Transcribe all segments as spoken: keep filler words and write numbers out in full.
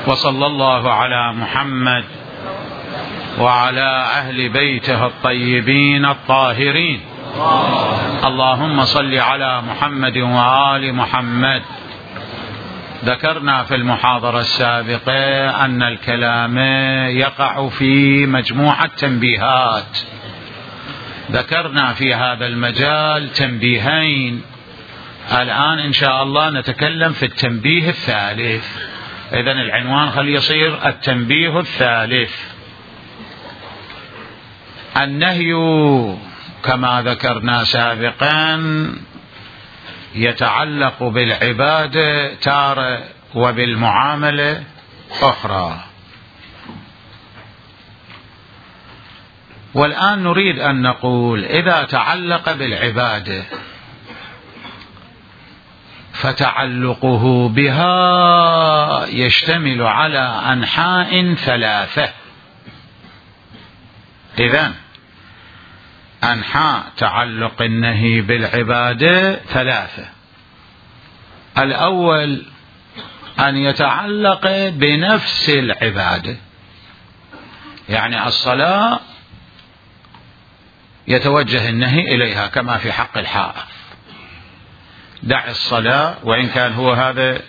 وصلى الله على محمد وعلى أهل بيته الطيبين الطاهرين. اللهم صل على محمد وآل محمد. ذكرنا في المحاضرة السابقة أن الكلام يقع في مجموعة تنبيهات. ذكرنا في هذا المجال تنبيهين، الآن إن شاء الله نتكلم في التنبيه الثالث. إذن العنوان خلي يصير التنبيه الثالث. النهي كما ذكرنا سابقا يتعلق بالعبادة تارة وبالمعاملة أخرى، والآن نريد أن نقول إذا تعلق بالعبادة فتعلقه بها يشتمل على أنحاء ثلاثة. إذن أنحاء تعلق النهي بالعبادة ثلاثة. الأول أن يتعلق بنفس العبادة، يعني الصلاة يتوجه النهي إليها كما في حق الحائض، دع الصلاة، وإن كان هو هذا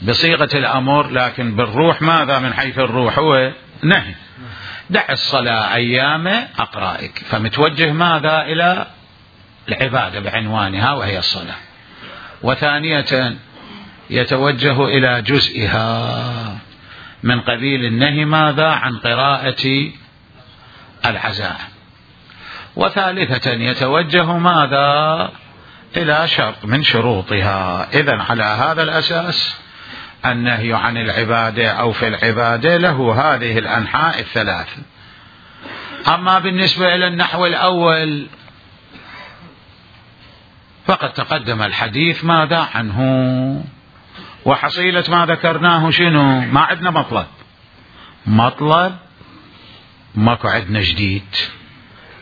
بصيغة الأمر لكن بالروح ماذا؟ من حيث الروح هو نهي. دع الصلاة أيام أقرائك، فمتوجه ماذا؟ إلى العبادة بعنوانها وهي الصلاة. وثانية يتوجه إلى جزئها من قبيل النهي ماذا؟ عن قراءة العزائم. وثالثة يتوجه ماذا؟ إلى شرط من شروطها. إذن على هذا الأساس النهي عن العبادة أو في العبادة له هذه الأنحاء الثلاث. أما بالنسبة إلى النحو الأول فقد تقدم الحديث ماذا عنه، وحصيلة ما ذكرناه شنو؟ ما عندنا مطلب مطلب ماكو عندنا جديد.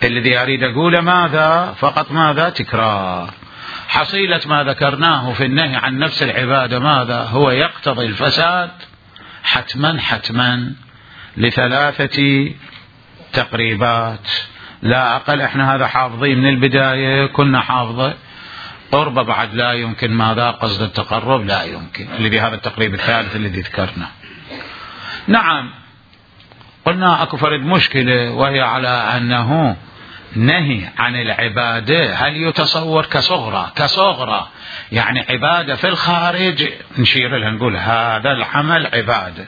الذي أريد أقوله ماذا؟ فقط ماذا؟ تكرار. حصيلة ما ذكرناه في النهي عن نفس العبادة ماذا؟ هو يقتضي الفساد حتما حتما لثلاثة تقريبات لا أقل. احنا هذا حافظين من البداية، كنا حافظة. قرب بعد لا يمكن ماذا؟ قصد التقرب لا يمكن، اللي بهذا التقريب الثالث الذي ذكرنا. نعم قلنا أكو فرد مشكلة، وهي على أنه نهي عن العبادة هل يتصور كصغرى كصغرى يعني عبادة في الخارج نشير لها نقول هذا العمل عبادة،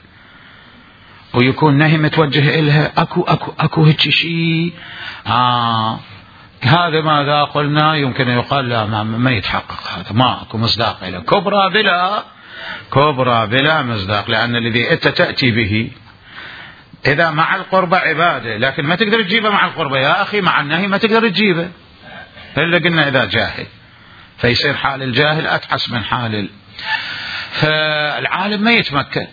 ويكون نهي متوجه إلها أكو أكو أكو هيك شيء آه هذا ماذا قلنا؟ يمكن يقال لا ما, ما يتحقق، هذا ما أكو مصداق له. كبرى بلا كبرى بلا مصداق، لأن الذي أنت تأتي به إذا مع القربة عبادة لكن ما تقدر تجيبه مع القربة يا أخي، مع النهي ما تقدر تجيبه إلا قلنا إذا جاهل، فيصير حال الجاهل أتحس من حال فالعالم ما يتمكن.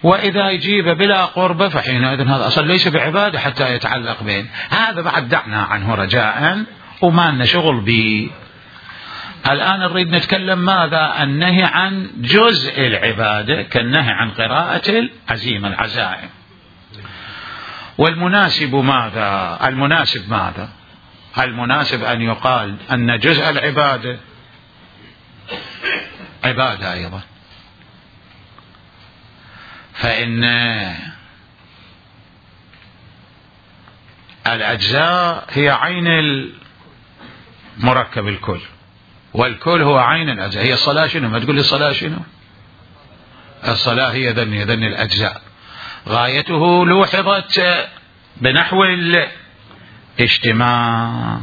وإذا يجيبه بلا قربة فحينئذ هذا أصلا ليس بعبادة حتى يتعلق بين هذا، بعد دعنا عنه رجاء وما لنا شغل به. الآن نريد نتكلم ماذا؟ النهي عن جزء العبادة كالنهي عن قراءة العزيمة العزائم. والمناسب ماذا؟ المناسب ماذا؟ المناسب أن يقال أن جزء العبادة عبادة أيضا، فإن الأجزاء هي عين المركب الكل، والكل هو عين الأجزاء. هي الصلاة شنو؟ ما تقول لي الصلاة شنو؟ الصلاة هي ذني ذني الأجزاء، غايته لوحظت بنحو الاجتماع،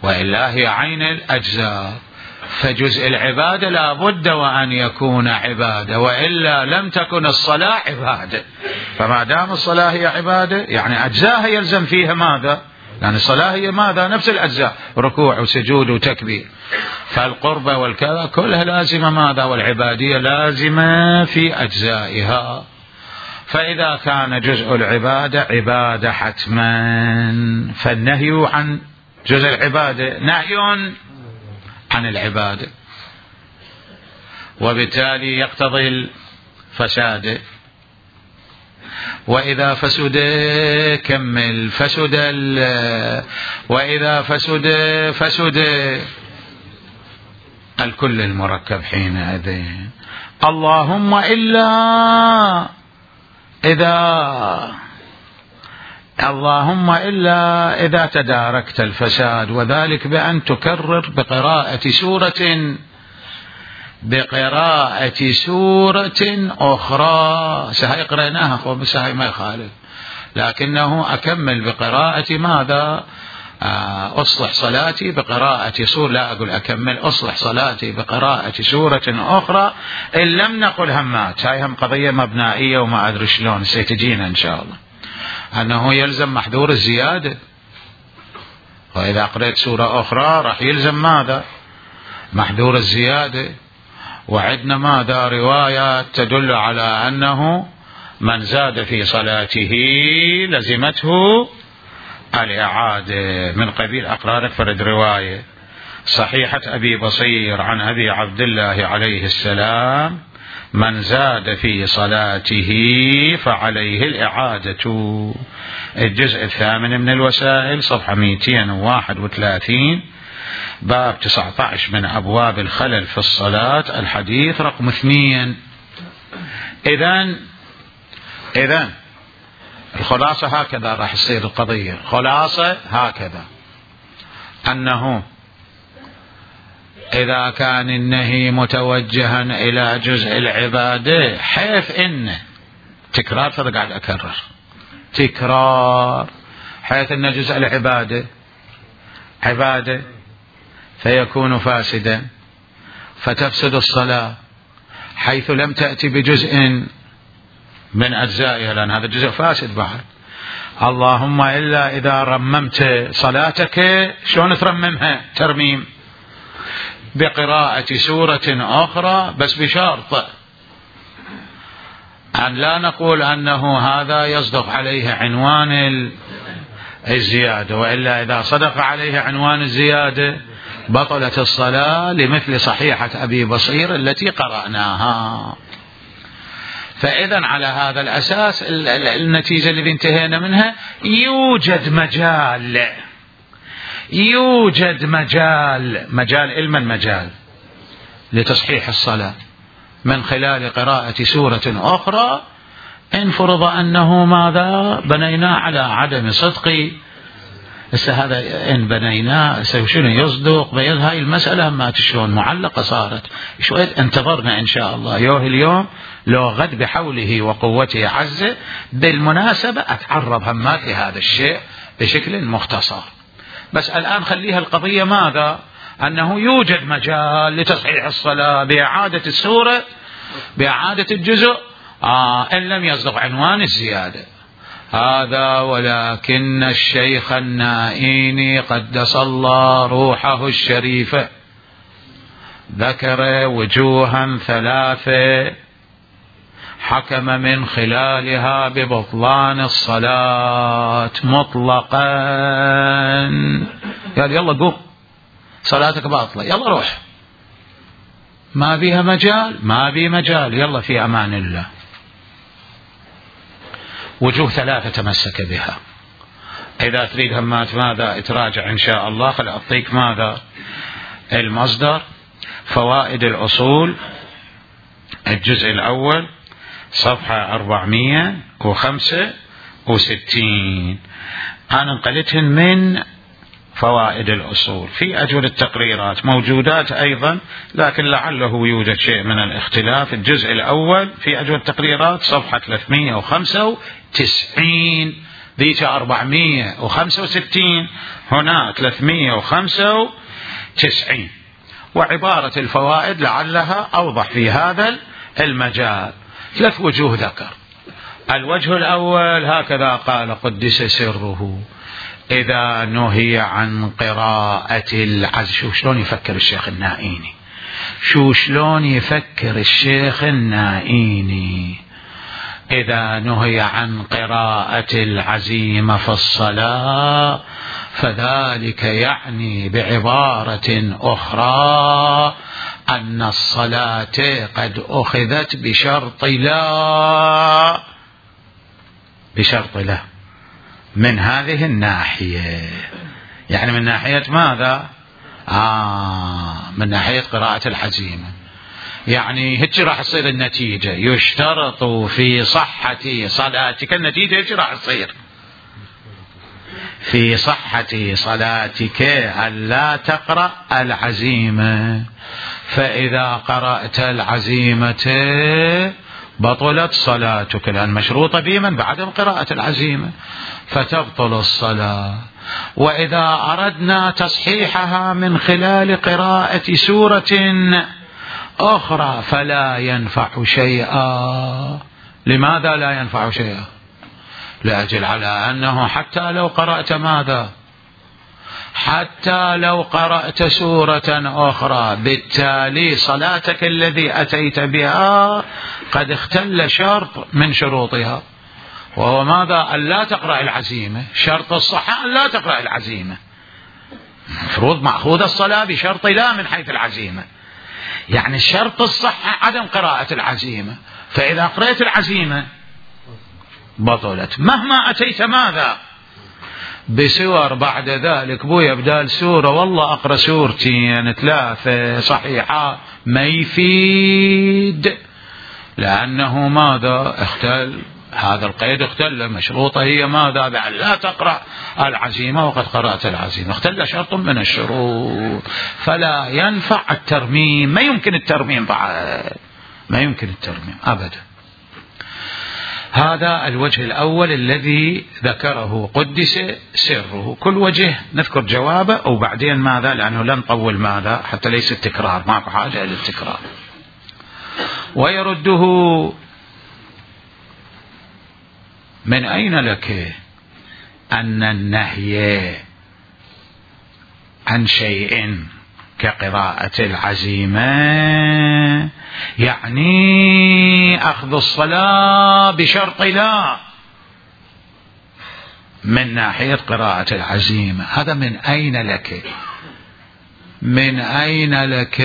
وإلا هي عين الأجزاء. فجزء العبادة لا بد وأن يكون عبادة، وإلا لم تكن الصلاة عبادة. فما دام الصلاة هي عبادة يعني أجزاء يلزم فيها ماذا؟ يعني الصلاة هي ماذا؟ نفس الأجزاء، ركوع وسجود وتكبير. فالقربة والكذا كلها لازمة ماذا؟ والعبادية لازمة في أجزائها. فإذا كان جزء العبادة عبادة حتما، فالنهي عن جزء العبادة نهي عن العبادة. وبالتالي يقتضي الفساد. وإذا فسد كمل فسد وإذا فسد فسد الكل المركب حينئذ. اللهم إلا إذا اللهم إلا إذا تداركت الفساد، وذلك بأن تكرر بقراءة سورة بقراءة سورة أخرى. سهي قرأناها أخوة، بس هاي ما يخالف، لكنه أكمل بقراءة ماذا؟ أصلح صلاتي بقراءة سورة، لا أقول أكمل، أصلح صلاتي بقراءة سورة أخرى إن لم نقل همات. هاي هم قضية مبنائية وما أدري شلون سيتجينا إن شاء الله، أنه يلزم محذور الزيادة. وإذا قرأت سورة أخرى راح يلزم ماذا؟ محذور الزيادة. وعندنا ماذا؟ روايات تدل على أنه من زاد في صلاته لزمته الإعادة، من قبيل أقرارك فرد رواية صحيحة أبي بصير عن أبي عبد الله عليه السلام: من زاد في صلاته فعليه الإعادة. الجزء الثامن من الوسائل، صفحة مئتين وواحد وثلاثين، باب تسعة عشر من أبواب الخلل في الصلاة، الحديث رقم اثنين. إذن إذن الخلاصة هكذا راح تصير القضية. خلاصة هكذا، أنه إذا كان النهي متوجها إلى جزء العبادة، حيث إن تكرار، فأنا قاعد أكرر تكرار، حيث إن جزء العبادة عبادة فيكون فاسدا، فتفسد الصلاة حيث لم تأتي بجزء من أجزائها، لأن هذا الجزء فاسد بعد. اللهم إلا إذا رممت صلاتك، شلون ترممها؟ ترميم بقراءة سورة أخرى، بس بشرط أن لا نقول أنه هذا يصدق عليه عنوان الزيادة، وإلا إذا صدق عليه عنوان الزيادة بطلت الصلاة، لمثل صحيحة أبي بصير التي قرأناها. فإذا على هذا الأساس النتيجة التي انتهينا منها، يوجد مجال يوجد مجال مجال علما مجال لتصحيح الصلاة من خلال قراءة سورة أخرى، إن فرض أنه ماذا؟ بنينا على عدم صدق. هذا إن بنينا شنو يصدق بين هاي المسألة، ما تشلون معلقة صارت شوية. انتظرنا إن شاء الله يوه اليوم لو غد بحوله وقوته عز. بالمناسبة أتعرض همات لهذا الشيء بشكل مختصر، بس الآن خليها القضية ماذا؟ أنه يوجد مجال لتصحيح الصلاة بإعادة السورة، بإعادة الجزء، آه إن لم يصدق عنوان الزيادة هذا. ولكن الشيخ النائيني قدس الله روحه الشريفة ذكر وجوها ثلاثة حكم من خلالها ببطلان الصلاة مطلقا. قال يلا قوم صلاتك باطلة، يلا روح، ما بيها مجال، ما بي مجال، يلا في أمان الله. وجوه ثلاثة تمسك بها. إذا تريد همات ماذا تراجع إن شاء الله، خل أعطيك ماذا المصدر. فوائد الأصول الجزء الأول صفحة أربعمائة وخمسة وستين، أنا انقلتهن من فوائد الأصول. في أجول التقريرات موجودات أيضا، لكن لعله يوجد شيء من الاختلاف. الجزء الأول في أجول التقريرات صفحة ثلاثمائة وخمسة وتسعين، ذيك أربعمائة وخمسة وستين، هنا ثلاثمائة وخمسة وتسعين. وعبارة الفوائد لعلها أوضح في هذا المجال. ثلاث وجوه ذكر. الوجه الأول هكذا قال قدس سره: إذا نهي عن قراءة العز. شو شلون يفكر الشيخ النائيني، شو شلون يفكر الشيخ النائيني. إذا نهي عن قراءة العزيمة في الصلاة فذلك يعني بعبارة أخرى أن الصلاة قد أخذت بشرط لا، بشرط لا من هذه الناحية. يعني من ناحية ماذا؟ آه من ناحية قراءة العزيمة. يعني هيك راح تصير النتيجة، يشترط في صحة صلاتك، النتيجة هيك راح تصير في صحة صلاتك ألا تقرأ العزيمة، فإذا قرأت العزيمة بطلت صلاتك، لأن مشروطة بمن؟ بعدم قراءة العزيمة، فتبطل الصلاة. وإذا أردنا تصحيحها من خلال قراءة سورة أخرى فلا ينفع شيئا. لماذا لا ينفع شيئا؟ لأجل على أنه حتى لو قرأت ماذا؟ حتى لو قرأت سورة أخرى، بالتالي صلاتك الذي أتيت بها قد اختل شرط من شروطها، وهو ماذا؟ أن لا تقرأ العزيمة. شرط الصحة أن لا تقرأ العزيمة، مفروض مأخوذ الصلاة بشرط لا من حيث العزيمة. يعني شرط الصحة عدم قراءة العزيمة، فإذا قرأت العزيمة بطلت. مهما أتيت ماذا؟ بسور بعد ذلك، بويا بدال سورة والله أقرأ سورتين ثلاثة صحيحة، ما يفيد، لأنه ماذا؟ اختل هذا القيد، اختل مشروطه هي ماذا؟ بأن لا تقرأ العزيمة وقد قرأت العزيمة، اختل شرط من الشروط، فلا ينفع الترميم. ما يمكن الترميم بعد، ما يمكن الترميم أبدا. هذا الوجه الأول الذي ذكره قدس سره. كل وجه نذكر جوابه وبعدين ماذا، لأنه لن نطول ماذا حتى ليس التكرار، ماكو حاجة للتكرار. ويرده: من أين لك أن النهي عن شيء كقراءة العزيمة يعني أخذ الصلاة بشرط لا من ناحية قراءة العزيمة؟ هذا من أين لك؟ من أين لك؟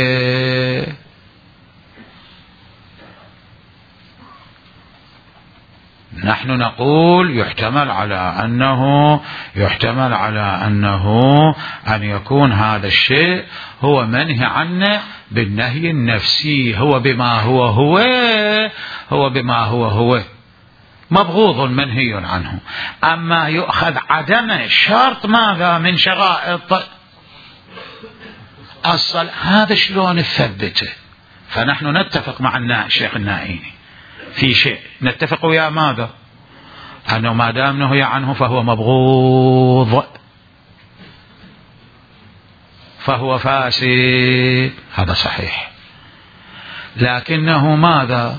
نحن نقول يحتمل على أنه يحتمل على أنه أن يكون هذا الشيء هو منهي عنه بالنهي النفسي، هو بما هو هو هو بما هو هو مبغوض منهي عنه. أما يؤخذ عدم شرط ماذا من شرائط الصلاة، هذا شلون نثبته؟ فنحن نتفق مع الشيخ النائيني في شيء، نتفق ويا ماذا؟ أنه ما دام نهي عنه فهو مبغوض، فهو فاسد، هذا صحيح. لكنه ماذا؟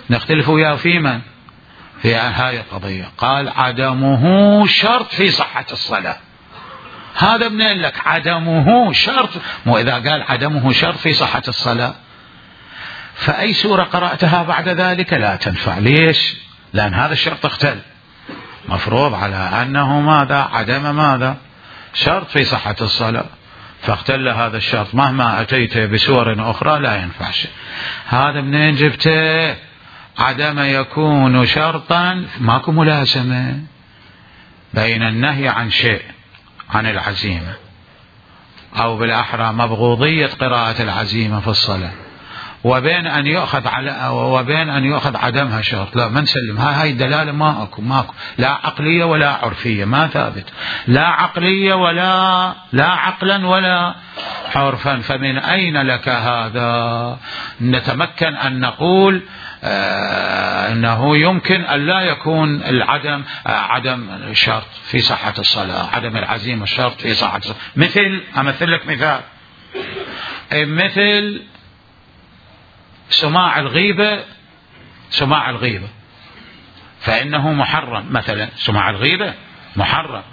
نختلف وياه في من؟ في هذه القضية. قال عدمه شرط في صحة الصلاة. هذا منين لك عدمه شرط؟ مو إذا قال عدمه شرط في صحة الصلاة فأي سورة قرأتها بعد ذلك لا تنفع. ليش؟ لأن هذا الشرط اختل، مفروض على أنه ماذا؟ عدم ماذا؟ شرط في صحة الصلاة، فاختل هذا الشرط، مهما أتيت بسور أخرى لا ينفع شيء. هذا منين جبته؟ عدم يكون شرطا، ماكو ملازمة بين النهي عن شيء عن العزيمة، أو بالأحرى مبغوضية قراءة العزيمة في الصلاة، وبين أن يؤخذ على وبين أن يؤخذ عدمها شرط. لا، ما نسلمها، هاي الدلالة ما أكو ماكو لا عقلية ولا عرفية، ما ثابت، لا عقلية ولا لا عقلا ولا عرفا. فمن أين لك هذا؟ نتمكن أن نقول آه أنه يمكن أن لا يكون العدم آه عدم شرط في صحة الصلاة، عدم العزيمة شرط في صحة الصلاة. مثل أمثل لك مثال، مثل سماع الغيبة، سماع الغيبة فإنه محرم، مثلا سماع الغيبة محرم،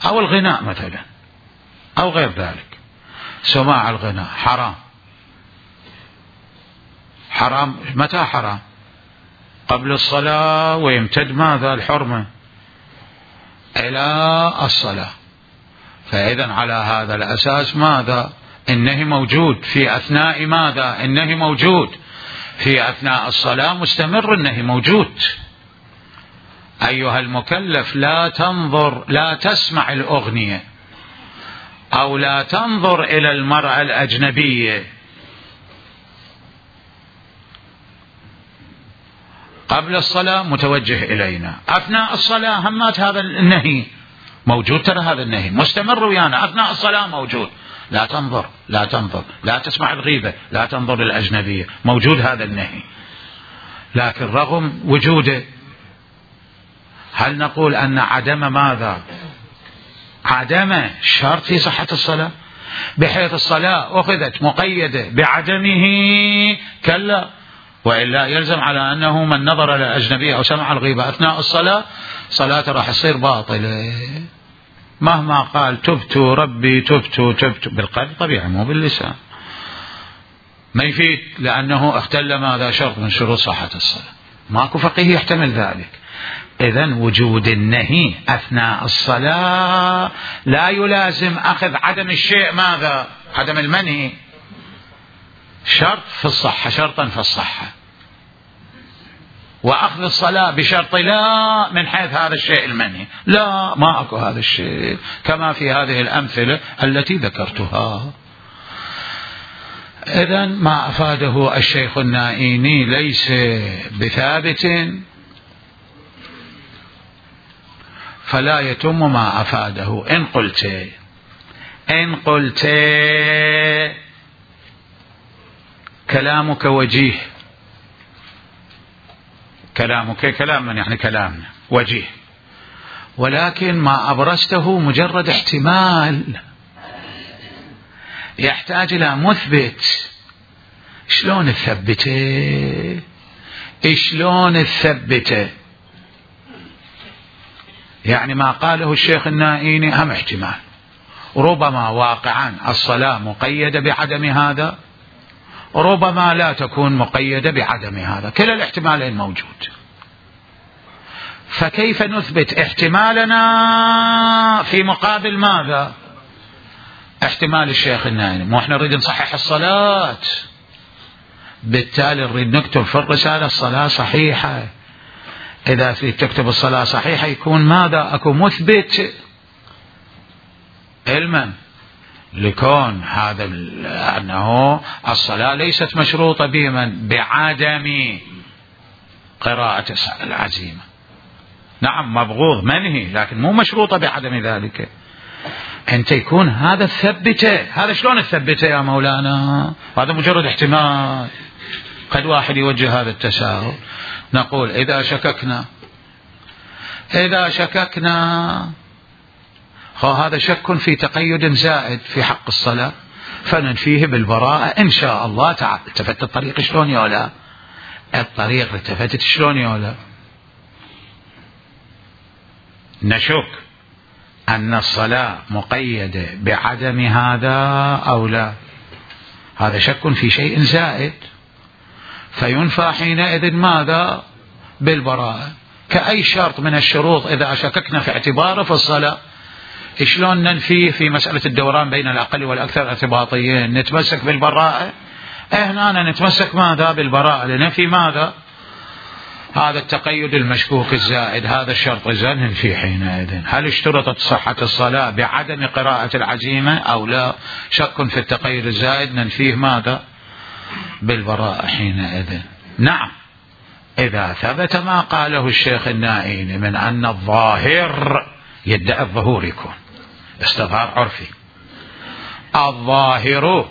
أو الغناء مثلا أو غير ذلك. سماع الغناء حرام، حرام متى حرام؟ قبل الصلاة، ويمتد ماذا؟ الحرمة إلى الصلاة. فإذا على هذا الأساس ماذا؟ النهي موجود في أثناء ماذا؟ النهي موجود في أثناء الصلاة، مستمر النهي موجود. أيها المكلف لا تنظر، لا تسمع الأغنية أو لا تنظر إلى المرأة الأجنبية قبل الصلاة متوجه إلينا، أثناء الصلاة همات هذا النهي موجود، ترى هذا النهي مستمر ويانا أثناء الصلاة موجود. لا تنظر، لا تنظر، لا تسمع الغيبة، لا تنظر للأجنبية، موجود هذا النهي. لكن رغم وجوده هل نقول أن عدم ماذا؟ عدم شرط في صحة الصلاة، بحيث الصلاة أخذت مقيدة بعدمه؟ كلا، وإلا يلزم على أنه من نظر للأجنبية أو سمع الغيبة أثناء الصلاة صلاته راح تصير باطلة، مهما قال تبت ربي تبت تبت بالقلب طبيعي مو باللسان، ما يفيد، لأنه اختل ماذا؟ شرط من شروط صحة الصلاة. ماكو فقيه يحتمل ذلك. إذن وجود النهي أثناء الصلاة لا يلازم أخذ عدم الشيء ماذا؟ عدم المنهي، شرط في الصحة، شرطا في الصحة، وأخذ الصلاة بشرط لا من حيث هذا الشيء المنهي، لا، ما أكو هذا الشيء، كما في هذه الأمثلة التي ذكرتها. إذن ما أفاده الشيخ النائيني ليس بثابت، فلا يتم ما أفاده. إن قلت إن قلت كلامك وجيه، كلامك كلام من يعني كلامنا وجيه، ولكن ما أبرزته مجرد احتمال يحتاج إلى مثبت. شلون تثبته؟ شلون تثبته؟ يعني ما قاله الشيخ النائيني هم احتمال، ربما واقعا الصلاة مقيدة بعدم هذا، ربما لا تكون مقيدة بعدم هذا، كلا الاحتمالين موجود. فكيف نثبت احتمالنا في مقابل ماذا؟ احتمال الشيخ النائيني. مو احنا نريد نصحح الصلاة، بالتالي نريد نكتب في الرسالة الصلاة صحيحة. إذا في تكتب الصلاة صحيحة يكون ماذا؟ أكو مثبت علما لكون هذا أنه الصلاة ليست مشروطة بمن؟ بعدم قراءة العزيمة. نعم مبغوض منهي، لكن مو مشروطة بعدم ذلك. أنت يكون هذا الثبته، هذا شلون الثبته يا مولانا؟ هذا مجرد احتمال، قد واحد يوجه هذا التساؤل. نقول إذا شككنا إذا شككنا هذا شك في تقيد زائد في حق الصلاة، فننفيه بالبراءة إن شاء الله تعالى. التفت الطريق شلون يولا؟ الطريق التفتت شلون يولا؟ نشك أن الصلاة مقيدة بعدم هذا أو لا، هذا شك في شيء زائد، فينفى حينئذ ماذا؟ بالبراءة. كأي شرط من الشروط إذا شككنا في اعتباره في الصلاة، شلون ننفيه في مسألة الدوران بين الأقل والأكثر ارتباطيين؟ نتمسك بالبراءة. هنا نتمسك ماذا؟ بالبراءة، لنفي ماذا؟ هذا التقيد المشكوك الزائد، هذا الشرط الزائد ننفيه حينئذ. هل اشترطت صحة الصلاة بعدم قراءة العزيمة أو لا؟ شك في التقيد الزائد ننفيه ماذا؟ بالبراءة حينئذ. نعم، إذا ثبت ما قاله الشيخ النائيني من أن الظاهر يدعي الظهور، يكون استظهار عرفي، الظاهر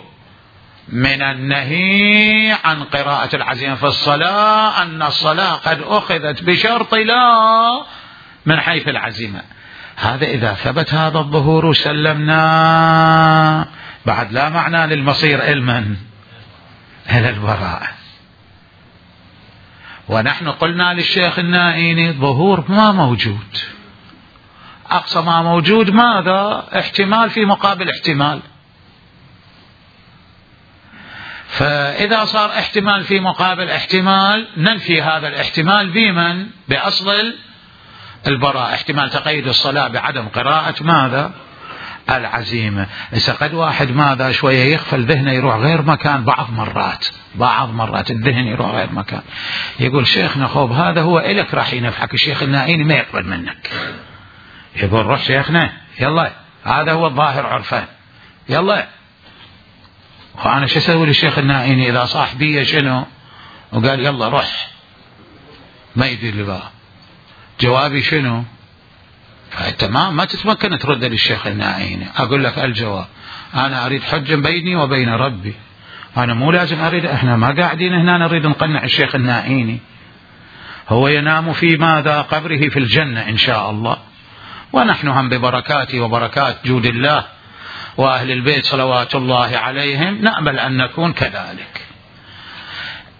من النهي عن قراءة العزيمة في الصلاة أن الصلاة قد أخذت بشرط لا من حيث العزيمة. هذا إذا ثبت هذا الظهور سلمنا، بعد لا معنى للمصير علما إلى البراءة. ونحن قلنا للشيخ النائيني ظهور ما موجود، أقصى ما موجود ماذا؟ احتمال في مقابل احتمال. فإذا صار احتمال في مقابل احتمال ننفي هذا الاحتمال بمن؟ بأصل البراءة، احتمال تقيد الصلاة بعدم قراءة ماذا؟ العزيمة. إذا قد واحد ماذا شوية يغفل ذهنه يروح غير مكان، بعض مرات بعض مرات الذهن يروح غير مكان، يقول شيخنا خوب هذا هو إلك راح ينفعك، الشيخ النائيني ما يقبل منك. يقول روح شيخنا يلا هذا هو الظاهر عرفان يلا. وأنا شو أسوي للشيخ النائيني إذا صاحبي شنو وقال يلا روح، ما يدري لي بقى جوابي شنو؟ فأنت ما ما تتمكن ترد للشيخ النائيني. أقول لك الجواب، أنا أريد حجة بيني وبين ربي، أنا مو لازم أريد، إحنا ما قاعدين هنا نريد نقنع الشيخ النائيني، هو ينام في ماذا قبره في الجنة إن شاء الله، ونحن هم ببركاته وبركات جود الله وأهل البيت صلوات الله عليهم نأمل أن نكون كذلك.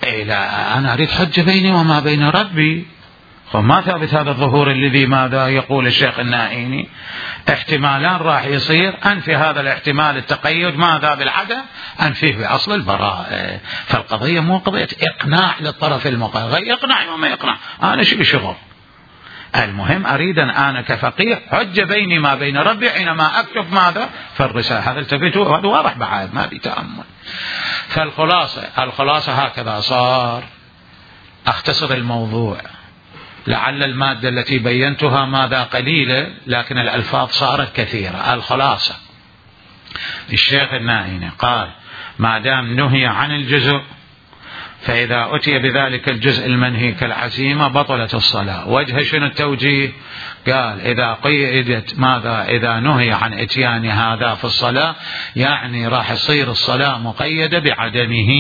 إيه لا، أنا أريد حجة بيني وما بين ربي. فما ثابت هذا الظهور الذي ماذا يقول الشيخ النائيني؟ احتمالان راح يصير، أنفي هذا الاحتمال التقيد ماذا بالعدم، أنفيه بأصل البراءة. فالقضية مو قضية إقناع للطرف المقابل، يقنع وما يقنع أنا شو شغل، المهم أريد أن أنا كفقيه حجة بيني ما بين ربي حينما أكتب ماذا في الرسالة. هذا التفتوا هذا واضح بعد ما بيتأمل. فالخلاصة الخلاصة هكذا صار. أختصر الموضوع، لعل المادة التي بينتها ماذا قليلة لكن الألفاظ صارت كثيرة. الخلاصة الشيخ النائيني قال ما دام نهي عن الجزء فإذا أتي بذلك الجزء المنهي كالعزيمة بطلت الصلاة. وجه شنو التوجيه؟ قال إذا قيدت ماذا إذا نهي عن إتيان هذا في الصلاة يعني راح يصير الصلاة مقيدة بعدمه،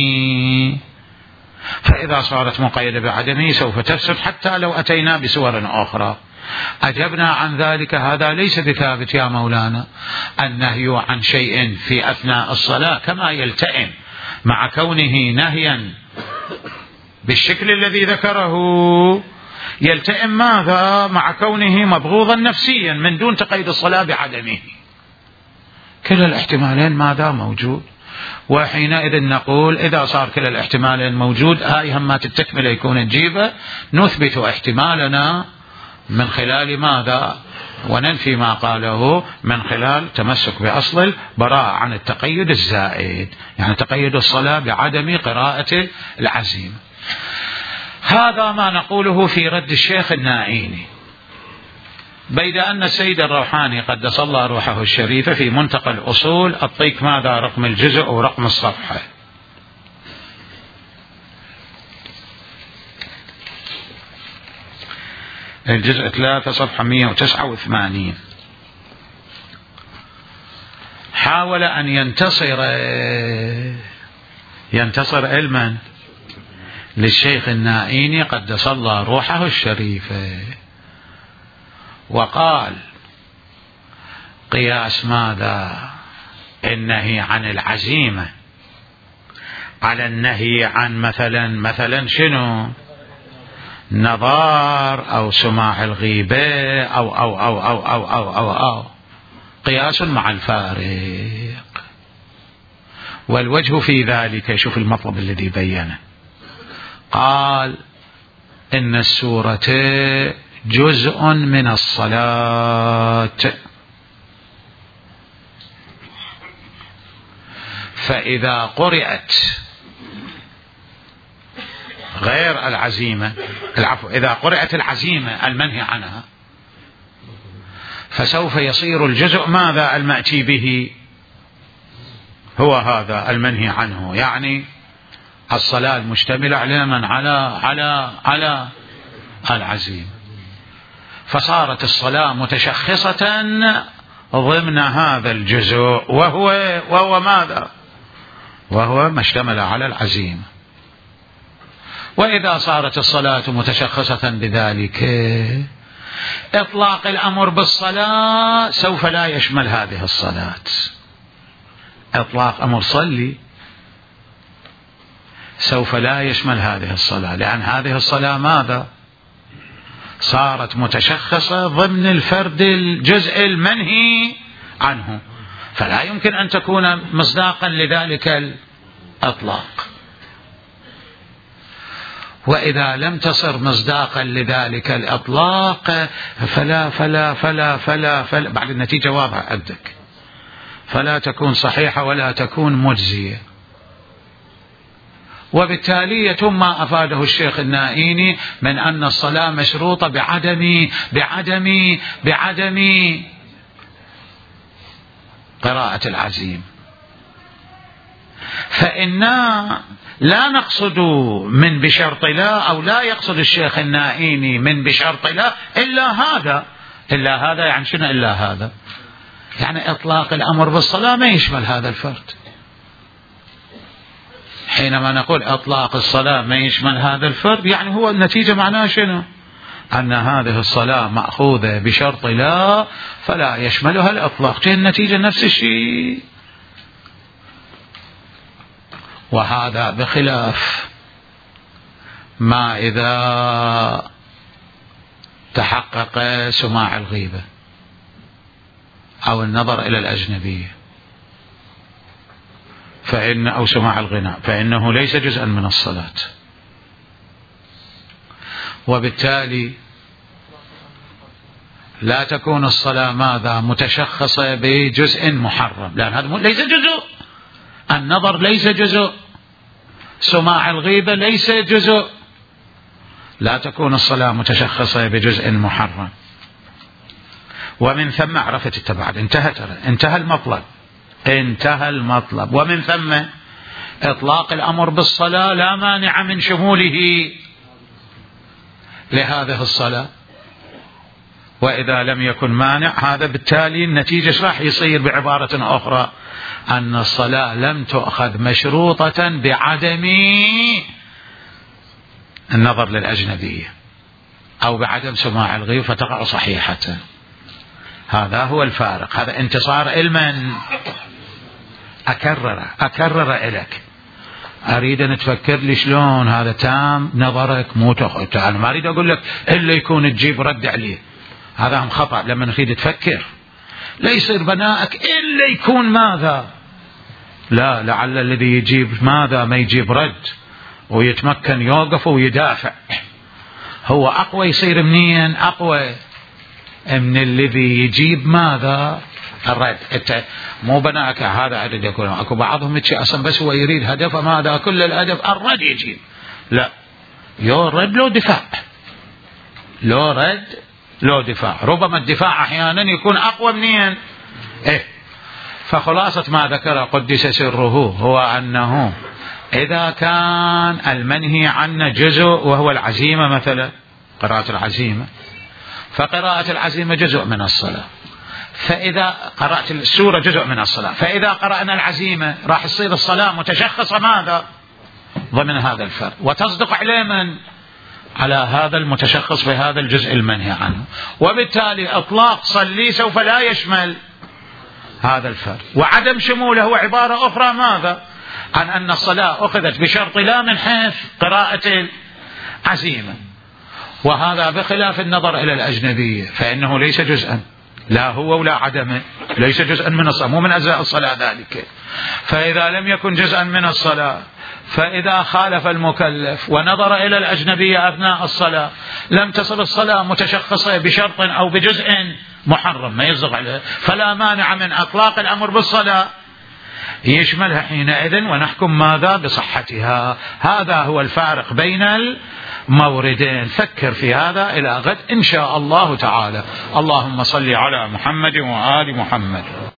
فإذا صارت مقيدة بعدمه سوف تفسد حتى لو أتينا بصور أخرى. أجبنا عن ذلك هذا ليس بثابت يا مولانا، النهي عن شيء في أثناء الصلاة كما يلتئم مع كونه نهيا بالشكل الذي ذكره يلتئم ماذا مع كونه مبغوضا نفسيا من دون تقيد الصلاة بعدمه. كلا الاحتمالين ماذا موجود، وحينئذ نقول إذا صار كلا الاحتمالين موجود هاي همات التكملة يكون نجيبه، نثبت احتمالنا من خلال ماذا وننفي ما قاله من خلال تمسك بأصل البراءة عن التقيد الزائد، يعني تقيد الصلاة بعدم قراءة العزيمة. هذا ما نقوله في رد الشيخ النائيني، بيد أن السيد الروحاني قدس الله روحه الشريفة في منتقى الأصول أعطيك ماذا رقم الجزء أو رقم الصفحة. الجزء ثلاثة صفحة مئة وتسعة وثمانين. حاول أن ينتصر ينتصر علما للشيخ النائيني قدس الله روحه الشريفة، وقال قياس ماذا النهي عن العزيمة على النهي عن مثلا مثلا شنو نظار أو سماع الغيبة أو أو أو أو أو أو أو, أو. قياس مع الفارق. والوجه في ذلك شوف المطلب الذي بينه، قال إن السورة جزء من الصلاة، فإذا قرأت غير العزيمة العفو إذا قرأت العزيمة المنهي عنها فسوف يصير الجزء ماذا المأتي به هو هذا المنهي عنه، يعني الصلاة المشتملة على من على على على العزيمة، فصارت الصلاة متشخصة ضمن هذا الجزء وهو وهو ماذا وهو ما اشتمل على العزيمة. وإذا صارت الصلاة متشخصة بذلك إطلاق الأمر بالصلاة سوف لا يشمل هذه الصلاة. إطلاق أمر صلي سوف لا يشمل هذه الصلاة، لأن هذه الصلاة ماذا صارت متشخصة ضمن الفرد الجزء المنهي عنه، فلا يمكن أن تكون مصداقا لذلك الإطلاق. وإذا لم تصر مصداقا لذلك الإطلاق فلا فلا فلا فلا, فلا بعد النتيجة واضحة عندك، فلا تكون صحيحة ولا تكون مجزية. وبالتالي يتم ما أفاده الشيخ النائيني من أن الصلاة مشروطة بعدم بعدم بعدم قراءة العزيم. فإنا لا نقصد من بشرط لا، أو لا يقصد الشيخ النائيني من بشرط لا إلا هذا. إلا هذا يعني شنو إلا هذا؟ يعني إطلاق الأمر بالصلاة ما يشمل هذا الفرد. حينما نقول إطلاق الصلاة ما يشمل هذا الفرد، يعني هو النتيجة معناه شنو؟ أن هذه الصلاة مأخوذة بشرط لا فلا يشملها الإطلاق. النتيجة نفس الشيء. وهذا بخلاف ما إذا تحقق سماع الغيبة أو النظر إلى الأجنبية فإن أو سماع الغناء، فإنه ليس جزءا من الصلاة. وبالتالي لا تكون الصلاة ماذا؟ متشخصة بجزء محرم، لأن هذا ليس جزء. النظر ليس جزء، سماع الغيبة ليس جزء. لا تكون الصلاة متشخصة بجزء محرم. ومن ثم عرفت التبعد. انتهى انتهى المطلب انتهى المطلب ومن ثم إطلاق الأمر بالصلاة لا مانع من شموله لهذه الصلاة. وإذا لم يكن مانع، هذا بالتالي النتيجة ايش راح يصير؟ بعبارة أخرى أن الصلاة لم تؤخذ مشروطة بعدم النظر للأجنبية أو بعدم سماع الغيب فتقع صحيحة. هذا هو الفارق. هذا انتصار علما. أكرر أكرر إليك، أريد أن تفكر لي شلون هذا تام نظرك مو تأخذ. أنا ما أريد أقول لك إلا يكون تجيب رد عليه، هذا هم خطأ. لما نريد تفكر لا يصير بناءك إلا يكون ماذا؟ لا، لعل الذي يجيب ماذا ما يجيب رد ويتمكن يوقف ويدافع. هو أقوى يصير منين؟ أقوى من الذي يجيب ماذا؟ الرد. انت مو بناك هذا عدد يكون اكو بعضهم يتشي اصلا بس هو يريد هدفه ماذا؟ كل الهدف الرد يجيب. لا، يو رد لو دفاع، لو رد لو دفاع. ربما الدفاع احيانا يكون اقوى منين. ايه فخلاصة ما ذكر قدس سره هو انه اذا كان المنهي عنه جزء وهو العزيمة مثلا، قراءة العزيمة، فقراءة العزيمة جزء من الصلاة. فإذا قرأت السورة جزء من الصلاة، فإذا قرأنا العزيمة راح تصير الصلاة متشخصة ماذا؟ ضمن هذا الفرد، وتصدق عليه من؟ على هذا المتشخص بهذا الجزء المنهي عنه. وبالتالي إطلاق صلي سوف لا يشمل هذا الفرد. وعدم شموله هو عبارة أخرى ماذا؟ عن أن الصلاة أخذت بشرط لا من حيث قراءة العزيمة. وهذا بخلاف النظر إلى الأجنبية، فإنه ليس جزءا، لا هو ولا عدمه، ليس جزءا من الصلاة، مو من أجزاء الصلاة ذلك. فإذا لم يكن جزءا من الصلاة، فإذا خالف المكلف ونظر إلى الأجنبية أثناء الصلاة لم تصل الصلاة متشخصة بشرط أو بجزء محرم ما يصدق عليه، فلا مانع من إطلاق الأمر بالصلاة يشملها حينئذ ونحكم ماذا؟ بصحتها. هذا هو الفارق بين الموردين. فكر في هذا إلى غد إن شاء الله تعالى. اللهم صل على محمد وآل محمد.